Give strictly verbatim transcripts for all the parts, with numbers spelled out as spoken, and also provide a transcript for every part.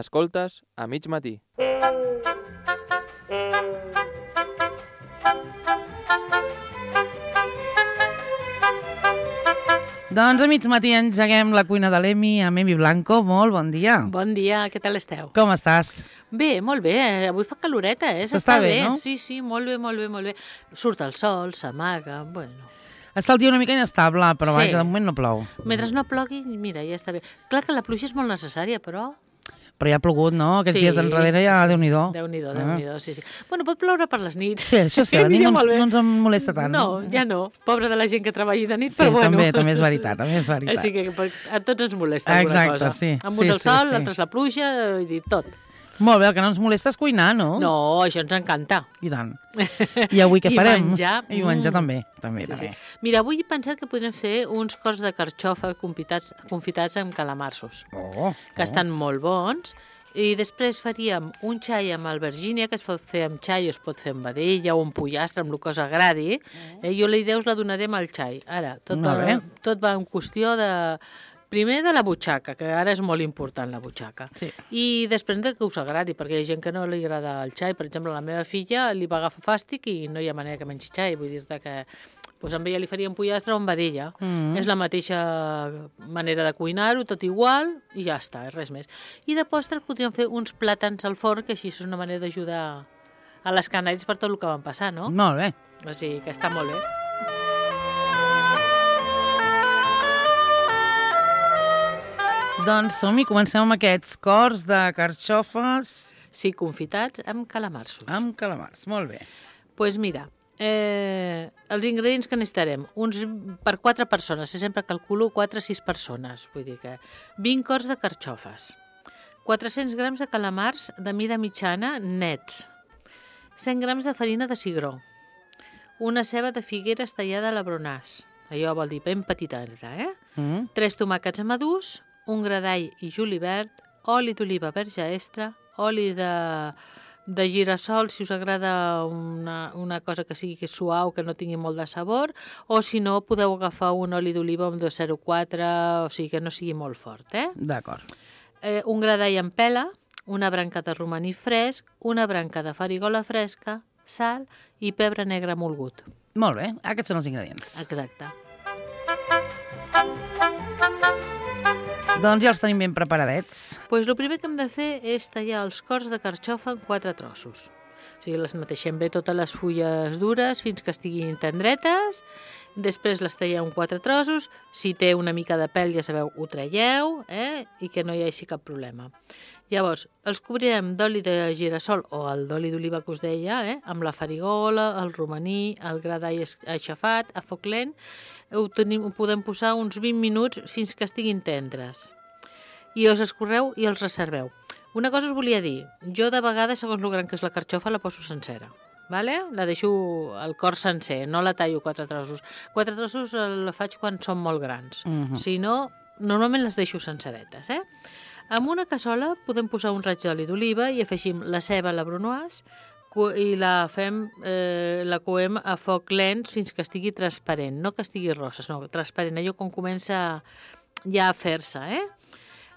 Escoltes a mig matí. Doncs a mig matí engeguem la cuina de l'Emi amb Emi Blanco. Molt bon dia. Bon dia, què tal esteu? Com estàs? Bé, molt bé, eh? Avui fa caloreta, eh? S'està bé, no? Sí, sí, molt bé, molt bé, molt bé. Surt el sol, s'amaga, bueno... Està el dia una mica inestable, però Sí. vaja, de moment no plou. Mentre no plogui, mira, ja està bé. Clar que la pluja és molt necessària, però... Però ja ha plogut, no? Aquests Sí, dies enrere ja, sí, sí. Déu-n'hi-do. Déu-n'hi-do, Ah. Déu-n'hi-do, sí, sí. Bueno, pot ploure per les nits. Sí, això sí, a la nit Ja no, molt ens- bé. no ens en molesta tant. No, ja no. Pobra de la gent que treballi de nit, Sí, però bueno. també, també és veritat, també és veritat. Així que per- a tots ens molesta alguna Exacte, cosa. sí. Amb Sí, un el sí, sol, sí. l'altre és la pluja, i dir tot. Molt bé, el que no ens molesta és cuinar, no? No, això ens encanta. I tant. I avui què I farem? menjar, I menjar mm. també, també, Sí, sí. també. Mira, avui he pensat que podríem fer uns cors de carxofa confitats, confitats amb calamarsos, Oh, que estan molt bons. I després faríem un xai amb albergínia, que es pot fer amb xai, es pot fer amb vedella o amb pollastre, amb el que us agradi. Eh, jo la idea us la donarem al xai. Ara, tot, Molt va, bé. tot va en qüestió de... Primer de la butxaca, que ara és molt important la butxaca. Sí. I després de que us agradi, perquè hi ha gent que no li agrada el xai. Per exemple, a la meva filla li va agafar fàstic i no hi ha manera que mengi xai. Vull dir-te que doncs amb ella li faríem pollastre o amb vedella. Mm. És la mateixa manera de cuinar-ho, tot igual, i ja està, res més. I de postres podríem fer uns plàtans al forn, que així és una manera d'ajudar a les canaris per tot el que van passar, no? Molt bé. O sigui que està molt bé. Doncs som-hi, comencem amb aquests cors de carxofes Sí, confitats amb calamarsos. amb calamars. Molt bé. Doncs pues mira, eh, els ingredients que necessitarem, uns per quatre persones, jo sempre calculo quatre a sis persones, vull dir que vint cors de carxofes, quatre-cents grams de calamars de mida mitjana nets, cent grams de farina de cigró, una ceba de figueres tallada a la bronàs, allò vol dir ben petiteta, eh? Mm. tres tomàquets madurs, un gra d'all i julivert, oli d'oliva verge extra, oli de, de girassol, si us agrada una, una cosa que sigui que suau, que no tingui molt de sabor, o si no, podeu agafar un oli d'oliva amb dos coma zero quatre, o sigui que no sigui molt fort, eh? D'acord. eh un gra d'all en pela, una branca de romaní fresc, una branca de farigola fresca, sal i pebre negre molgut. Molt bé, aquests són els ingredients. Exacte. Doncs ja els tenim ben preparadets. Pues el primer que hem de fer és tallar els cors de carxofa en quatre trossos. O sigui, les neteixem bé totes les fulles dures fins que estiguin tendretes, després les talleu en quatre trossos, si té una mica de pèl, ja sabeu, ho traieu, eh? I que no hi hagi cap problema. Llavors, els cobrirem d'oli de girassol o el d'oli d'oliva que us deia, eh? Amb la farigola, el romaní, el gra d'all aixafat, a foc lent. Ho, tenim, ho podem posar uns vint minuts fins que estiguin tendres. I els escorreu i els reserveu. Una cosa us volia dir. Jo de vegades, segons el gran que és la carxofa, la poso sencera. Vale? La deixo el cor sencer, no la tallo quatre trossos. Quatre trossos la faig quan són molt grans. Mhm. Si no, normalment les deixo senceretes. Eh? En una cassola podem posar un raig d'oli d'oliva i afegim la ceba a la brunoise i la fem, eh, la coem a foc lent fins que estigui transparent, no que estigui rosa, sinó transparent, allò quan comença ja a fer-se, eh?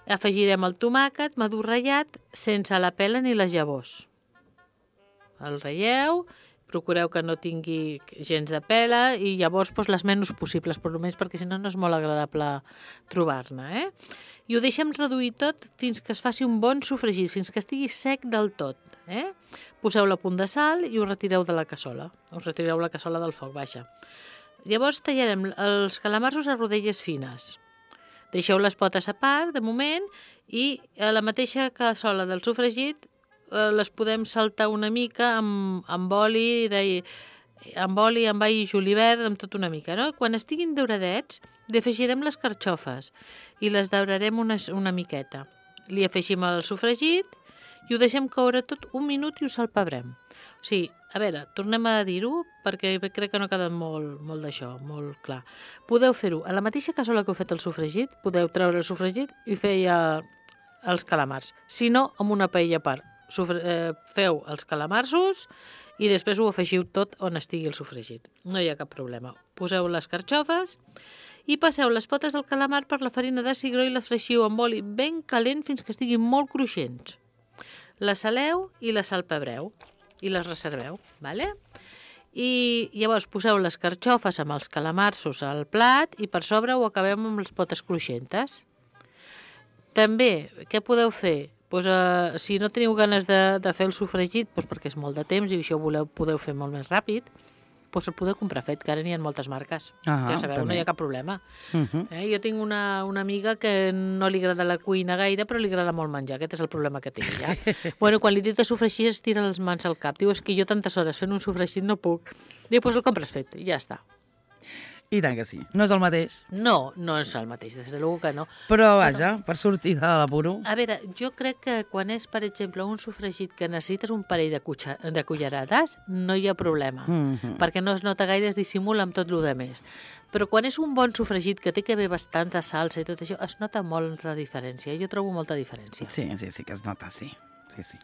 Afegirem el tomàquet madur ratllat sense la pela ni les llavors. El ratlleu, procureu que no tingui gens de pela i llavors doncs, les menys possibles, per almenys perquè si no no és molt agradable trobar-ne, eh? I ho deixem reduir tot fins que es faci un bon sofregit, fins que estigui sec del tot, eh? Poseu-la a punt de sal i ho retireu de la cassola. Us retireu la cassola del foc, baixa. Llavors tallarem els calamarsos a rodelles fines. Deixeu les potes a part, de moment, i a la mateixa cassola del sofregit eh, les podem saltar una mica amb, amb oli, de, amb oli, amb all i julivert, amb tot una mica, no? Quan estiguin dauradets, li afegirem les carxofes i les daurarem una, una miqueta. Li afegim el sofregit i ho deixem coure tot un minut i ho salpebrem. O sigui, a veure, tornem a dir-ho perquè crec que no ha quedat molt, molt d'això, molt clar. Podeu fer-ho a la mateixa cassola que heu fet el sofregit, podeu treure el sofregit i fer ja els calamars. Si no, amb una paella a part. Sofre eh, feu els calamarsos i després ho afegiu tot on estigui el sofregit. No hi ha cap problema. Poseu les carxofes i passeu les potes del calamar per la farina de cigró i la freixiu amb oli ben calent fins que estiguin molt cruixents. Les saleu i les salpebreu i les reserveu, vale? I llavors poseu les carxofes amb els calamarsos al plat i per sobre ho acabem amb les potes cruixentes. També, què podeu fer? Pues, uh, si no teniu ganes de, de fer el sofregit, pues, perquè és molt de temps i això ho voleu, podeu fer molt més ràpid, pues el podeu comprar fet, que ara n'hi ha moltes marques. Ah, ja sabeu, també. no hi ha cap problema. Uh -huh. Eh? Jo tinc una, una amiga que no li agrada la cuina gaire, però li agrada molt menjar. Aquest és el problema que té ella. Bueno, quan li dic de sofregir es tira les mans al cap. Diu, és que jo tantes hores fent un sofregit no puc. Diu, doncs el compres fet, i ja està. I tant que sí. No és el mateix. No, no és el mateix, des de segur que no. Però, vaja, per sortir de l'apuro... A veure, jo crec que quan és, per exemple, un sofregit que necessites un parell de, cucha, de cullerades, no hi ha problema, Mm -hmm. perquè no es nota gaire, es dissimula amb tot el que més. Però quan és un bon sofregit que té que haver bastanta salsa i tot això, es nota molt la diferència. Jo trobo molta diferència. Sí, sí, sí que es nota, sí. Sí, sí.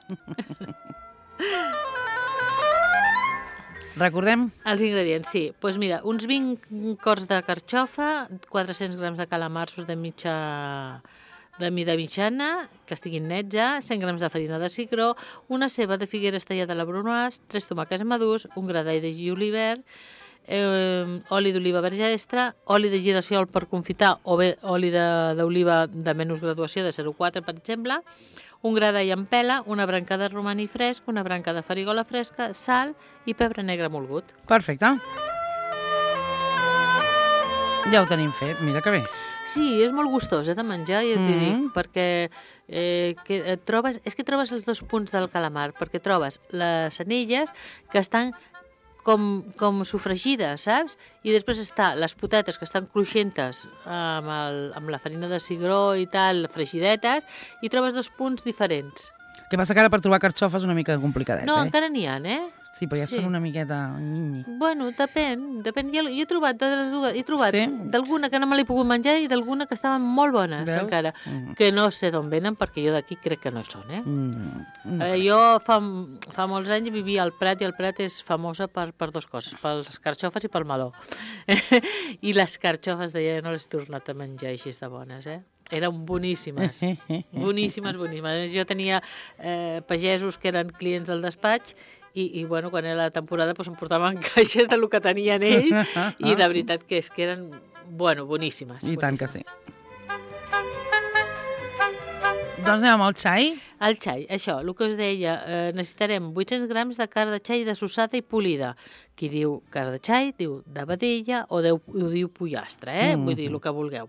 Recordem? Els ingredients, sí. Doncs pues mira, uns vint cors de carxofa, quatre-cents grams de calamarsos de mitja de mida mitjana, que estiguin nets ja, cent grams de farina de cigró, una ceba de figueres tallada a la brunoise, tres tomàquets madurs, un gra d'all de julivert, eh, oli d'oliva verge extra, oli de girassol per confitar o bé oli d'oliva de, de menys graduació, de zero coma quatre, per exemple, un gra d'all en pela, una branca de romaní fresc, una branca de farigola fresca, sal i pebre negre molgut. Perfecte. Ja ho tenim fet, mira que bé. Sí, és molt gustós eh, de menjar, ja t'hi Mm. dic, perquè eh, que et trobes, és que trobes els dos punts del calamar, perquè trobes les anelles que estan com, com sofregides, saps? I després està les potetes que estan cruixentes amb, el, amb la farina de cigró i tal, fregidetes, i trobes dos punts diferents. Què passa que ara per trobar carxofes és una mica complicadet, No, eh? encara n'hi ha, eh? Sí, però ja sí. són una miqueta... Bueno, depèn, depèn. Jo, jo he trobat de les dues, he trobat Sí? d'alguna que no me l'he pogut menjar i d'alguna que estaven molt bones, Veus? encara. Mm. Que no sé d'on venen, perquè jo d'aquí crec que no hi són, eh? Mm. Eh, jo fa, fa molts anys vivia al Prat i el Prat és famosa per, per dues coses, pels carxofes i pel meló. I les carxofes deia no les he tornat a menjar així de bones, eh? Eren boníssimes, boníssimes, boníssimes. Jo tenia eh, pagesos que eren clients del despatx i, i bueno, quan era la temporada doncs, em portaven caixes del que tenien ells i de veritat que és que eren, bueno, boníssimes. I tant que boníssimes. sí. Doncs anem amb el xai. El xai, això, el que us deia, eh, necessitarem vuit-cents grams de carn de xai dessossada i polida. Qui diu carn de xai, diu de vedella o, deu, o diu pollastre, eh? Mm. Vull dir, el que vulgueu.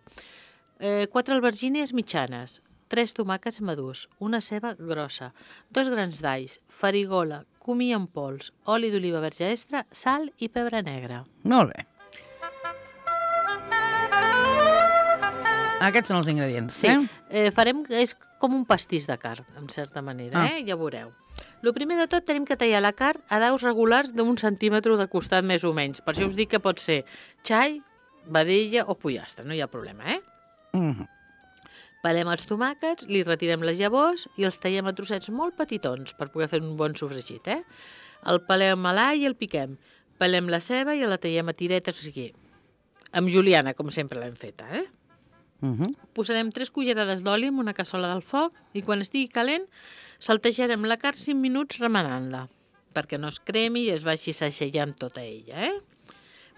Eh, quatre albergínies mitjanes, tres tomàquets madurs, una ceba grossa, dos grans d'alls, farigola, comí en pols, oli d'oliva verge extra, sal i pebre negre. Molt bé. Aquests són els ingredients, Sí, eh? eh, farem, és com un pastís de carn, en certa manera, Ah. eh? Ja veureu. El primer de tot tenim que tallar la carn a daus regulars d'un centímetre de costat més o menys. Per això us dic que pot ser xai, vedella o pollastre, no hi ha problema, eh? Mm -hmm. Pelem els tomàquets, li retirem les llavors i els tallem a trossets molt petitons per poder fer un bon sofregit, eh? El pelem a l'all i el piquem. Pelem la ceba i la tallem a tiretes, o sigui, amb juliana, com sempre l'hem feta, eh? Mm -hmm. Posarem tres cullerades d'oli en una cassola del foc i quan estigui calent saltejarem la carn cinc minuts remenant-la perquè no es cremi i es vagi sacejant tota ella, eh?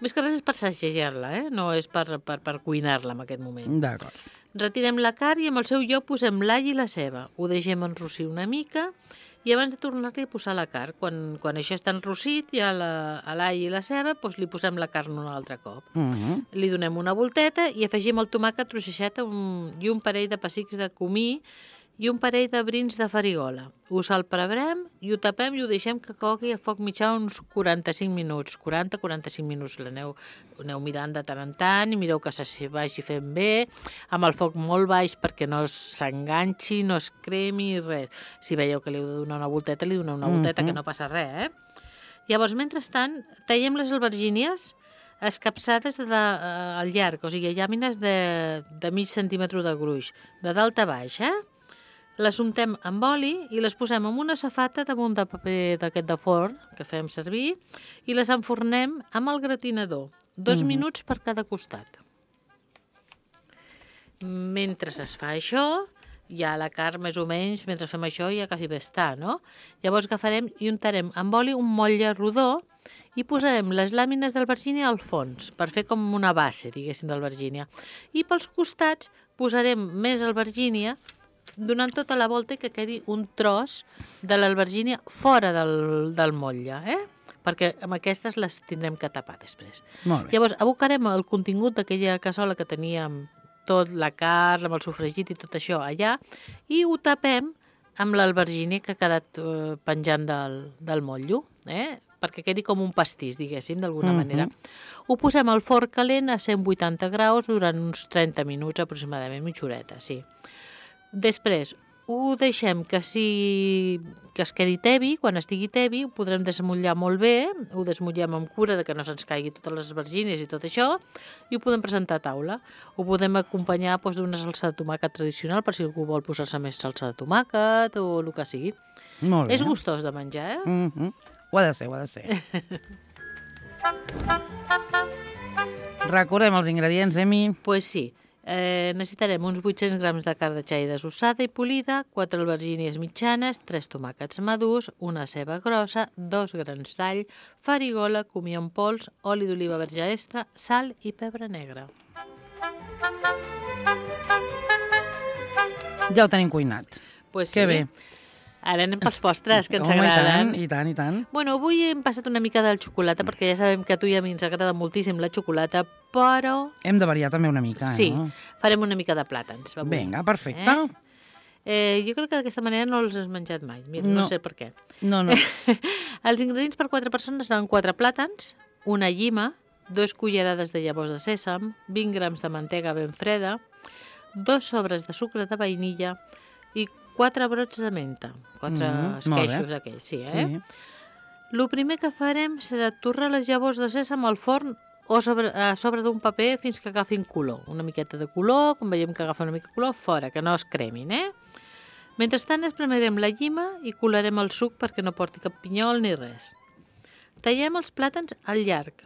Més que res és per sacejar-la, eh? No és per, per, per cuinar-la en aquest moment. D'acord. Retirem la carn i amb el seu lloc posem l'all i la ceba. Ho deixem enrossir una mica i abans de tornar-li a posar la carn, quan, quan això està enrossit, ja la, a l'all i la ceba, doncs li posem la carn un altre cop. Mm -hmm. Li donem una volteta i afegim el tomàquet trossejat un, i un parell de pessics de comí i un parell de brins de farigola. Ho salpebrem i ho tapem i ho deixem que cogui a foc mitjà uns quaranta-cinc minuts. quaranta a quaranta-cinc minuts. L'aneu aneu mirant de tant en tant i mireu que se vagi fent bé, amb el foc molt baix perquè no s'enganxi, no es cremi, res. Si veieu que li heu de donar una volteta, li doneu una volteta, mm -hmm. que no passa res, eh? Llavors, mentrestant, tallem les albergínies escapçades de, de, uh, al llarg, o sigui, llàmines de, de mig centímetre de gruix, de dalt a baix, eh? Les untem amb oli i les posem en una safata damunt de paper d'aquest de forn que fem servir i les enfornem amb el gratinador, dos mm. minuts per cada costat. mentre es fa això, ja la carn més o menys, mentre fem això, ja quasi bé està, no? Llavors agafarem i untarem amb oli un motlle rodó i posarem les làmines d'albergínia al fons, per fer com una base, diguéssim, d'albergínia. I pels costats posarem més albergínia, donant tota la volta i que quedi un tros de l'albergínia fora del, del motlle, eh? Perquè amb aquestes les tindrem que tapar després. Molt bé. Llavors, abocarem el contingut d'aquella cassola que teníem, tot la carn, amb el sofregit i tot això allà, i ho tapem amb l'albergínia que ha quedat eh, penjant del, del motllo, eh? Perquè quedi com un pastís, diguéssim, d'alguna Mhm. manera. Ho posem al forn calent a cent vuitanta graus durant uns trenta minuts aproximadament, mitja horeta, sí. Després, ho deixem que, si, que es quedi tebi, quan estigui tebi, ho podrem desmotllar molt bé, ho desmotllem amb cura de que no se'ns caigui totes les albergínies i tot això, i ho podem presentar a taula. Ho podem acompanyar doncs, d'una salsa de tomàquet tradicional, per si algú vol posar-se més salsa de tomàquet o el que sigui. Molt bé. És gustós de menjar, eh? Mhm. Ho ha de ser, ho ha de ser. Recordem els ingredients, Emi. Pues sí. Eh, necessitarem uns vuit-cents grams de carn de xai desossada i polida, quatre albergínies mitjanes, tres tomàquets madurs, una ceba grossa, dos grans d'all, farigola, comió en pols, oli d'oliva verge extra, sal i pebre negre. Ja ho tenim cuinat. Pues Que sí. bé. Ara anem pels postres, que ens Home, agraden. I tant, i tant, i tant. Bueno, avui hem passat una mica del xocolata, perquè ja sabem que a tu i a mi ens agrada moltíssim la xocolata, però Hem de variar també una mica, sí, no? farem una mica de plàtans. Avui. Vinga, perfecte. Eh, jo crec que d'aquesta manera no els has menjat mai. Mira, no. No. no sé per què. No, no. Els ingredients per quatre persones seran quatre plàtans, una llima, dos cullerades de llavors de sèsam, vint grams de mantega ben freda, dos sobres de sucre de vainilla i quatre brots de menta. Quatre Mm, mm, molt bé. esqueixos aquells, sí, eh? Sí. El primer que farem serà torrar les llavors de sèsam al forn o sobre, a sobre d'un paper fins que agafin color. Una miqueta de color, quan veiem que agafa una mica de color, fora, que no es cremin, eh? Mentrestant espremerem la llima i colarem el suc perquè no porti cap pinyol ni res. Tallem els plàtans al llarg,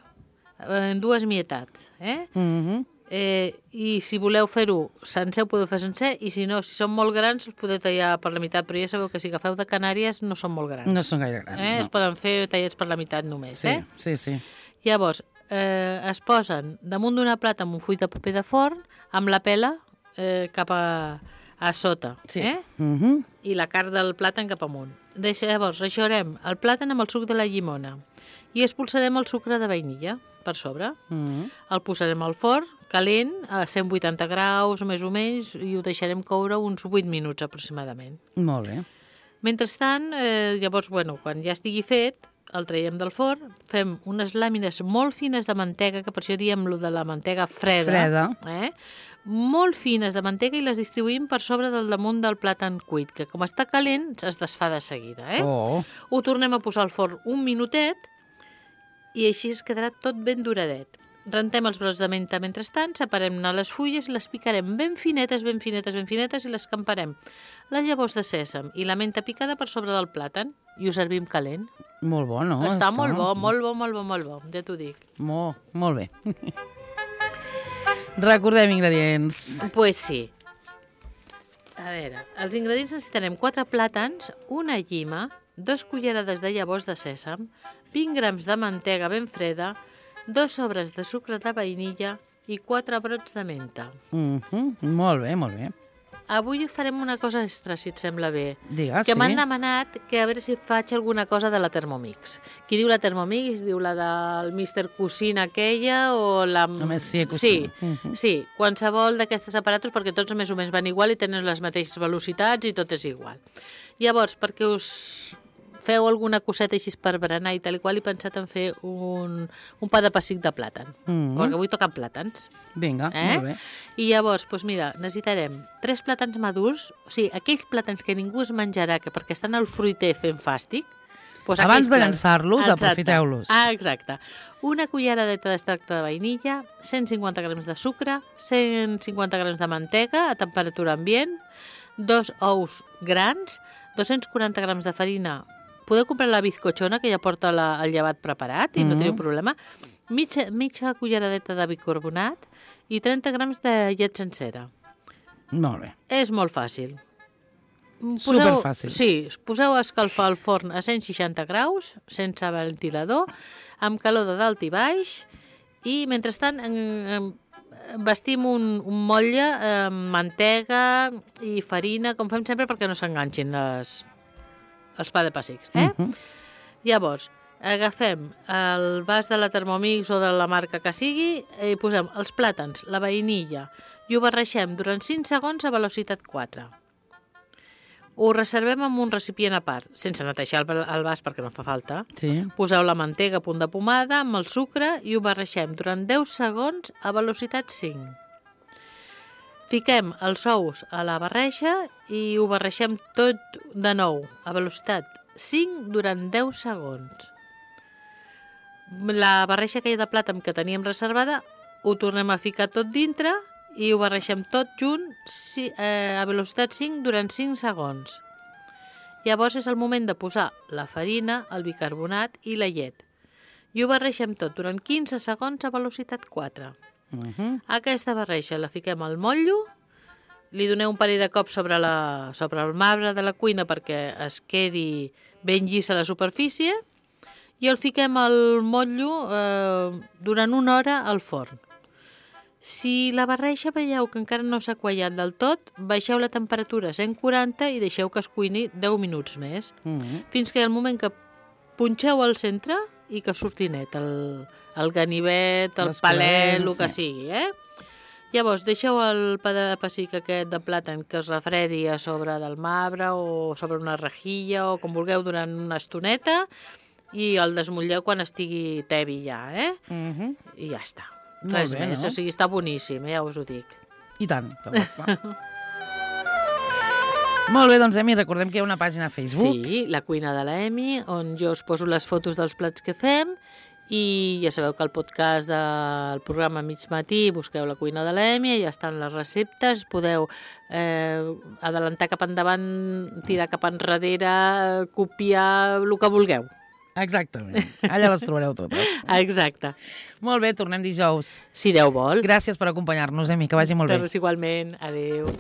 en dues mietats, eh? Mhm. Eh, I si voleu fer-ho sencer, ho podeu fer sencer, i si no, si són molt grans, els podeu tallar per la meitat, però ja sabeu que si agafeu de Canàries no són molt grans. No són gaire grans, eh? no. Es poden fer tallats per la meitat només, Sí, eh? sí, sí. Llavors, eh, es posen damunt d'una plata amb un full de paper de forn, amb la pela eh, cap a, a sota, Sí. eh? Mhm. I la carn del plàtan cap amunt. Deixa, llavors, reixarem el plàtan amb el suc de la llimona i expulsarem el sucre de vainilla per sobre. Mhm. El posarem al forn, calent, a cent vuitanta graus, més o menys, i ho deixarem coure uns vuit minuts aproximadament. Molt bé. Mentrestant, eh, llavors, bueno, quan ja estigui fet, el traiem del forn, fem unes làmines molt fines de mantega, que per això diem lo de la mantega freda, Freda. eh? molt fines de mantega i les distribuïm per sobre del damunt del plàtan cuit, que com està calent es desfà de seguida. Eh? Oh, Ho tornem a posar al forn un minutet i així es quedarà tot ben duradet. Rentem els brots de menta mentrestant, separem-ne les fulles i les picarem ben finetes, ben finetes, ben finetes i les camparem. Les llavors de sèsam i la menta picada per sobre del plàtan i ho servim calent. molt bo, no? Està molt bo, molt bo, molt bo, molt bo, ja t'ho dic. Molt, molt bé. Recordem ingredients. Pues sí. A veure, els ingredients necessitarem quatre plàtans, una llima, dos cullerades de llavors de sèsam, vint grams de mantega ben freda, dos sobres de sucre de vainilla i quatre brots de menta. Mhm. Molt bé, molt bé. Avui farem una cosa extra, si et sembla bé. Digues, Que sí. m'han demanat que a veure si faig alguna cosa de la Thermomix. Qui diu la Thermomix diu la del míster Cuisine aquella o la... La Monsieur Sí, Cuisine. Mhm. sí, qualsevol d'aquestes aparatos perquè tots més o menys van igual i tenen les mateixes velocitats i tot és igual. Llavors, perquè us feu alguna coseta així per berenar i tal i qual, he pensat en fer un, un pa de pessic de plàtan, Mhm. perquè avui toquen plàtans. Vinga, Eh? molt bé. I llavors, doncs mira, necessitarem tres plàtans madurs, o sigui, aquells plàtans que ningú es menjarà que perquè estan al fruiter fent fàstic. Doncs Abans aquells de plàtans- llançar-los, Exacte. aprofiteu-los. Ah, exacte. Una culleradeta d'extracte de vainilla, cent cinquanta grams de sucre, cent cinquanta grams de mantega a temperatura ambient, dos ous grans, dos-cents quaranta grams de farina. Podeu comprar la bizcochona, que ja porta la, el llevat preparat i no Mhm. teniu problema. Mitja, mitja culleradeta de bicarbonat i trenta grams de llet sencera. Molt bé. És molt fàcil. Superfàcil. Sí, poseu a escalfar el forn a cent seixanta graus, sense ventilador, amb calor de dalt i baix, i mentrestant en, en, vestim un, un motlle amb mantega i farina, com fem sempre, perquè no s'enganxin les, els pa de pessics. Eh? Uh -huh. Llavors, agafem el vas de la Thermomix o de la marca que sigui i posem els plàtans, la vainilla, i ho barreixem durant cinc segons a velocitat quatre. Ho reservem en un recipient a part, sense netejar el, el vas perquè no fa falta. Sí. Poseu la mantega a punt de pomada amb el sucre i ho barreixem durant deu segons a velocitat cinc. Fiquem els ous a la barreja i ho barreixem tot de nou a velocitat cinc durant deu segons. La barreja aquella de plàtan que teníem reservada ho tornem a ficar tot dintre i ho barreixem tot junt eh, a velocitat cinc durant cinc segons. Llavors és el moment de posar la farina, el bicarbonat i la llet. I ho barreixem tot durant quinze segons a velocitat quatre. Uh -huh. Aquesta barreja la fiquem al motllo, li doneu un parell de cops sobre, la, sobre el marbre de la cuina perquè es quedi ben llisa la superfície i el fiquem al motllo eh, durant una hora al forn. Si la barreja veieu que encara no s'ha quallat del tot, baixeu la temperatura a cent quaranta i deixeu que es cuini deu minuts més, Uh -huh. fins que al moment que punxeu al centre i que surti net el, el ganivet, el palet, el que sigui, eh? Llavors, deixeu el pa de pessic aquest de plàtan que es refredi a sobre del marbre o sobre una rejilla o com vulgueu durant una estoneta i el desmotlleu quan estigui tebi ja, eh? Uh -huh. I ja està. Molt Res bé, més, no? o sigui, està boníssim, eh? Ja us ho dic. I tant, que ho està. Molt bé, doncs, Emi, recordem que hi ha una pàgina a Facebook. Sí, la cuina de la Emi, on jo us poso les fotos dels plats que fem i ja sabeu que el podcast del programa Mig Matí busqueu la cuina de la Emi, ja estan les receptes, podeu eh, adelantar cap endavant, tirar cap enrere, copiar el que vulgueu. Exactament. Allà les trobareu totes. Exacte. Molt bé, tornem dijous. Si Déu vol. Gràcies per acompanyar-nos, Emi, que vagi molt bé. Igualment. Adéu.